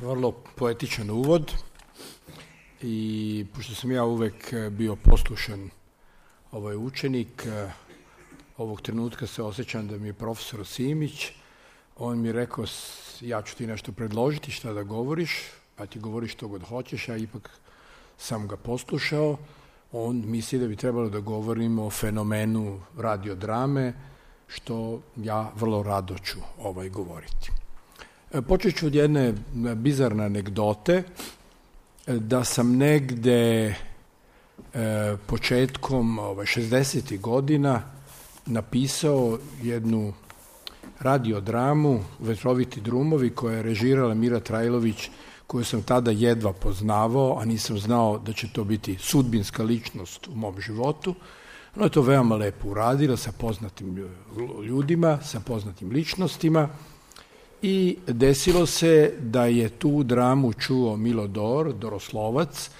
Vrlo poetičan uvod i pošto sam ja uvek bio poslušan učenik, ovog trenutka se osjećam da mi je profesor Simić, on mi je rekao ja ću ti nešto predložiti šta da govoriš, pa ti govoriš što god hoćeš, ja ipak sam ga poslušao. On misli da bi trebalo da govorimo o fenomenu radiodrame, što ja vrlo rado ću govoriti. Počet ću od jedne bizarne anegdote, da sam negde početkom 60. godina napisao jednu radiodramu Vetroviti drumovi, koja je režirala Mira Trajlović, koju sam tada jedva poznavao, a nisam znao da će to biti sudbinska ličnost u mom životu. Ona je to veoma lepo uradila sa poznatim ljudima, sa poznatim ličnostima i desilo se da je tu dramu čuo Milodor Doroslovac,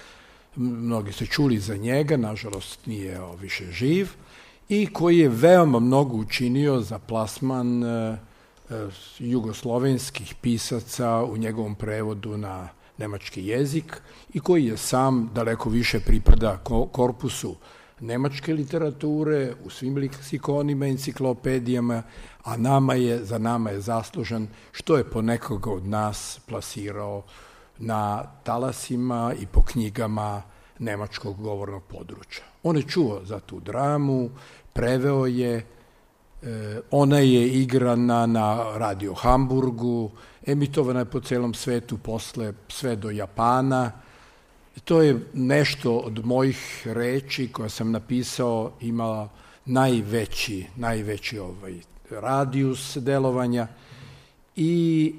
mnogi ste čuli za njega, nažalost nije više živ, i koji je veoma mnogo učinio za plasman jugoslovenskih pisaca u njegovom prevodu na nemački jezik i koji je sam daleko više pripada korpusu nemačke literature u svim leksikonima, enciklopedijama, a za nama je zaslužan što je po nekoga od nas plasirao na talasima i po knjigama nemačkog govornog područja. On je čuo za tu dramu, preveo je, ona je igrana na Radio Hamburgu, emitovana je po celom svetu, posle sve do Japana. To je nešto od mojih reči koja sam napisao imala najveći radijus delovanja i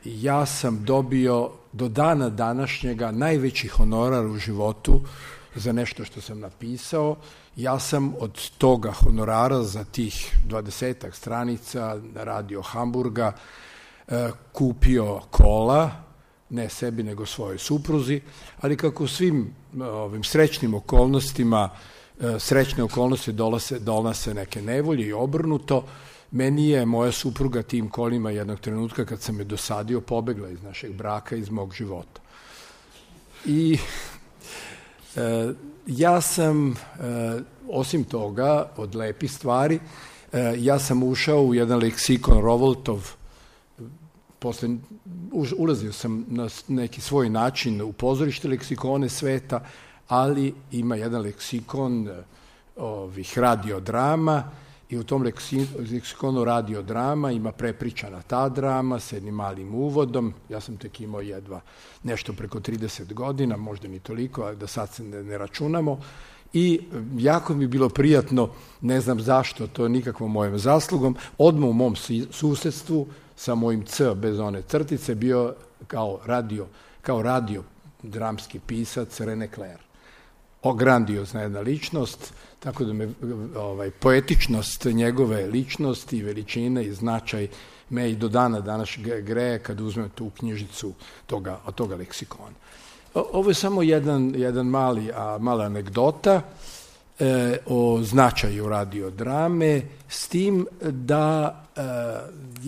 ja sam dobio do dana današnjega najveći honorar u životu za nešto što sam napisao. Ja sam od toga honorara za tih 20 stranica na Radio Hamburga kupio kola, ne sebi nego svojoj supruzi, ali kako svim ovim srećnim okolnostima, srećne okolnosti donose neke nevolje i obrnuto, meni je moja supruga tim kolima jednog trenutka kad sam je dosadio pobegla iz našeg braka, iz mog života. I ja sam, osim toga, od lepih stvari, ja sam ušao u jedan leksikon Rovoltov, ulazio sam na neki svoj način u pozorište leksikone sveta, ali ima jedan leksikon ovih radiodrama i u tom leksikonu radiodrama ima prepričana ta drama sa jednim malim uvodom. Ja sam tek imao jedva nešto preko 30 godina, možda ni toliko, ali da sad se ne računamo. I jako mi je bilo prijatno, ne znam zašto, to je nikakvom mojom zaslugom, odmah u mom susedstvu sa mojim C bez one crtice bio kao radio dramski pisac René Clair. Grandiozna jedna ličnost, tako da me poetičnost njegove ličnosti, veličine i značaj me i do dana danas greje kad uzmem tu knjižicu toga leksikona. Ovo je samo jedan mala anegdota o značaju radiodrame, s tim da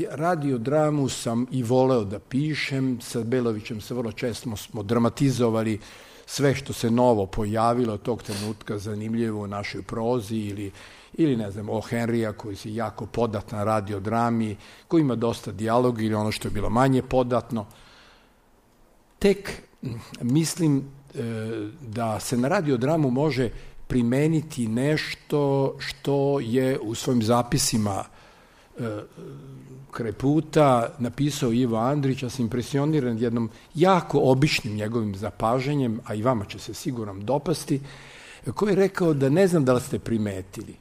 radiodramu sam i voleo da pišem, sa Belovićem se vrlo često smo dramatizovali sve što se novo pojavilo tog trenutka zanimljivo u našoj prozi ili ne znam, o Henrya koji je jako podat na radiodrami, koji ima dosta dijaloga ili ono što je bilo manje podatno. Tek mislim da se na radiodramu može primeniti nešto što je u svojim zapisima kraj puta napisao Ivo Andrić, ja sam impresioniran jednom jako običnim njegovim zapažanjem, a i vama će se sigurno dopasti, koji je rekao da ne znam da li ste primetili,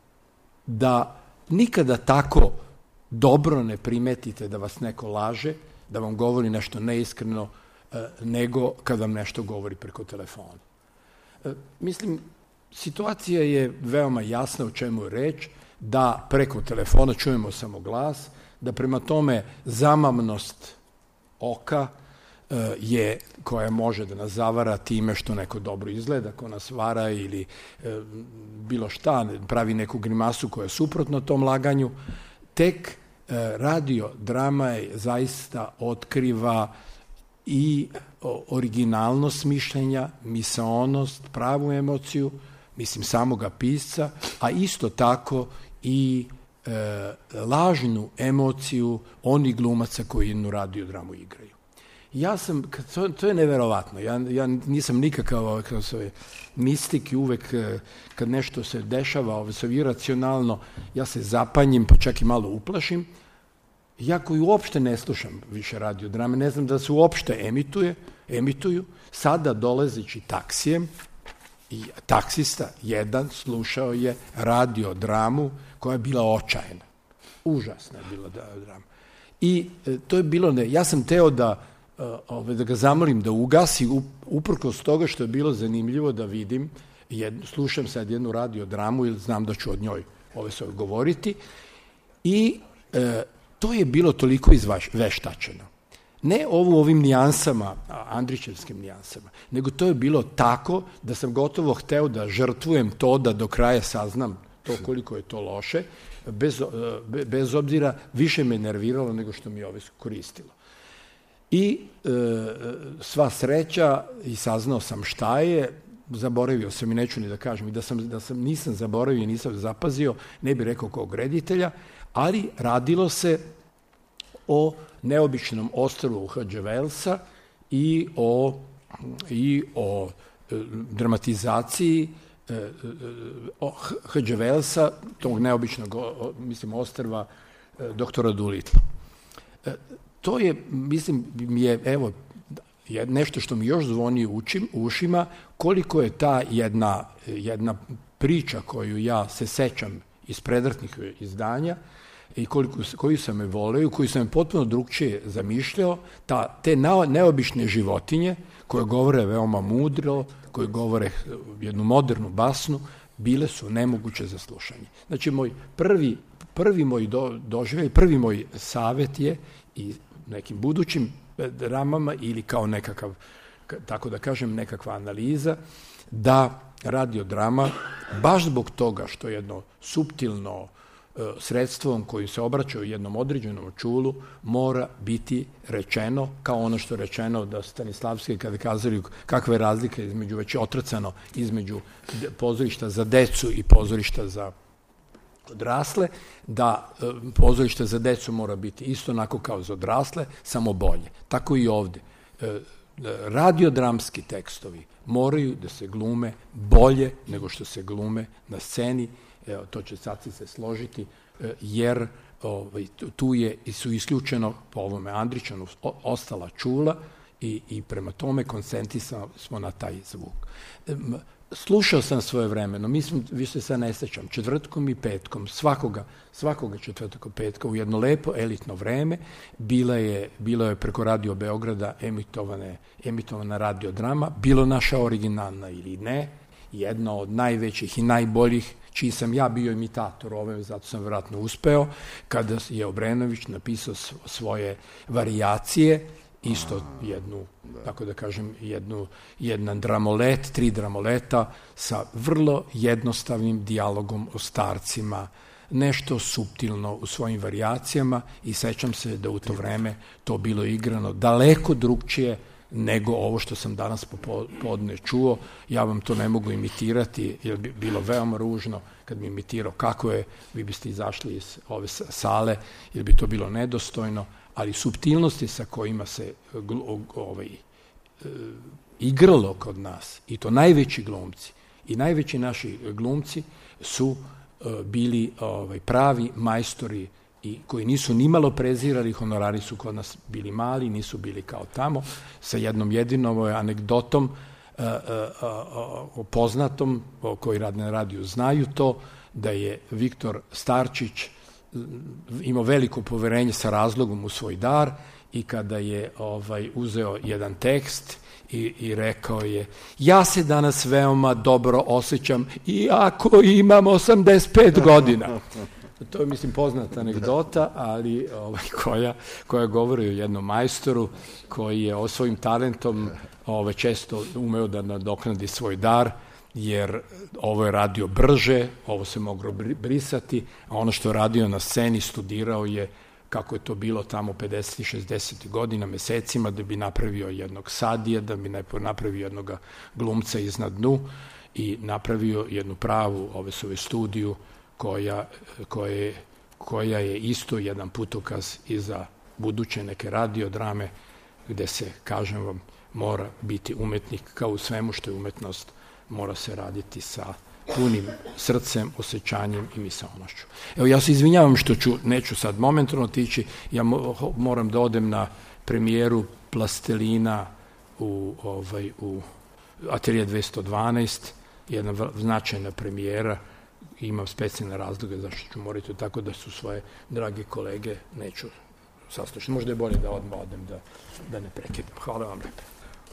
da nikada tako dobro ne primetite da vas neko laže, da vam govori nešto neiskreno, nego kad vam nešto govori preko telefona. Mislim, situacija je veoma jasna o čemu je reč, da preko telefona čujemo samo glas, da prema tome zamamnost oka je koja može da nas zavara time što neko dobro izgleda, ko nas vara ili bilo šta, pravi neku grimasu koja je suprotno tom laganju. Tek radio drama je zaista otkriva i originalnost mišljenja, misaonost, pravu emociju, mislim samoga pisca, a isto tako i lažnu emociju onih glumaca koji jednu radiodramu igraju. Ja sam, to je neverovatno, ja nisam nikakav mistik i uvek kad nešto se dešava iracionalno, ja se zapanjim, pa čak i malo uplašim. Ja koji uopšte ne slušam više radiodrame, ne znam da se uopšte emituju, sada dolazeći taksijem, i taksista jedan slušao je radiodramu koja je bila očajna. Užasna je bila drama. I to je bilo, ja sam teo da ga zamolim da ugasi, uprkos toga što je bilo zanimljivo da vidim, slušam sad jednu radiodramu ili znam da ću od njoj govoriti, i to je bilo toliko izveštačeno. Ne ovim nijansama, Andrićevskim nijansama, nego to je bilo tako da sam gotovo hteo da žrtvujem to da do kraja saznam to koliko je to loše, bez obzira više me nerviralo nego što mi je koristilo. I sva sreća, i saznao sam šta je, zaboravio sam i neću ni da kažem, i da sam nisam zaboravio i nisam zapazio, ne bih rekao kog reditelja, ali radilo se o neobičnom ostrvu Hadže Velsa i o dramatizaciji Hadže Velsa, tog neobičnog, ostrva doktora Doolittle. To je, mislim, evo, nešto što mi još zvoni u ušima, koliko je ta jedna priča koju ja se sećam iz predratnih izdanja i koju sam me voleo, koju sam me potpuno drugčije zamišljao, te neobične životinje koje govore veoma mudro, koje govore jednu modernu basnu, bile su nemoguće za slušanje. Znači, prvi moj doživljaj, prvi moj savet je i nekim budućim dramama ili kao nekakav, tako da kažem, nekakva analiza, da radiodrama, baš zbog toga što jedno suptilno sredstvom koji se obraća u jednom određenom čulu, mora biti rečeno, kao ono što je rečeno da Stanislavski kada kazali kakva je razlika između, već otrcano, između pozorišta za decu i pozorišta za odrasle, da pozorište za decu mora biti isto onako kao za odrasle, samo bolje. Tako i ovde. Radiodramski tekstovi moraju da se glume bolje nego što se glume na sceni, to će sad se složiti, jer tu su isključeno po ovome Andrićanu ostala čula i prema tome koncentrisani smo na taj zvuk. Slušao sam svoje vremeno, više se ne sećam, četvrtkom i petkom, svakoga četvrtkom i petka u jedno lepo elitno vreme, bilo je preko Radio Beograda emitovana radiodrama, bilo naša originalna ili ne, jedna od najvećih i najboljih, čiji sam ja bio imitator ove, zato sam vjerojatno uspeo, kada je Obrenović napisao svoje varijacije, isto jednu, tako da kažem, jedan dramolet, 3 dramoleta sa vrlo jednostavnim dijalogom o starcima, nešto suptilno u svojim varijacijama, i sećam se da u to vreme to bilo igrano daleko drugčije nego ovo što sam danas popodne čuo. Ja vam to ne mogu imitirati, jer bi bilo veoma ružno kad bi imitirao kako je, vi biste izašli iz ove sale, jer bi to bilo nedostojno, ali suptilnosti sa kojima se igralo kod nas, i to najveći glumci, i najveći naši glumci su bili pravi majstori i koji nisu nimalo prezirali, honorari su kod nas bili mali, nisu bili kao tamo, sa jednom jedinom anegdotom poznatom, koji rade na radiju znaju to, da je Viktor Starčić imao veliko poverenje sa razlogom u svoj dar, i kada je uzeo jedan tekst i rekao je: ja se danas veoma dobro osjećam iako imam 85 godina. To je, mislim, poznata anegdota, ali koja govori o jednom majstoru koji je svojim talentom često umeo da nadoknadi svoj dar, jer ovo je radio brže, ovo se moglo brisati, a ono što je radio na sceni studirao je kako je to bilo tamo 50. 60. godina, mesecima, da bi napravio jednog Sadija, da bi napravio jednog glumca iznad dnu i napravio jednu pravu studiju koja je isto jedan putokaz i za buduće neke radiodrame gde se, kažem vam, mora biti umetnik kao u svemu što je umetnost, mora se raditi sa punim srcem, osjećanjem i misaonošću. Evo, ja se izvinjavam što neću sad momentalno otići, ja moram da odem na premijeru Plastelina u Atelje 212, jedna značajna premijera, imam specijalne razloge zašto ću morati, tako da su svoje drage kolege neću saslušati. Možda je bolje da odmah odem, da ne prekidam. Hvala vam lepo.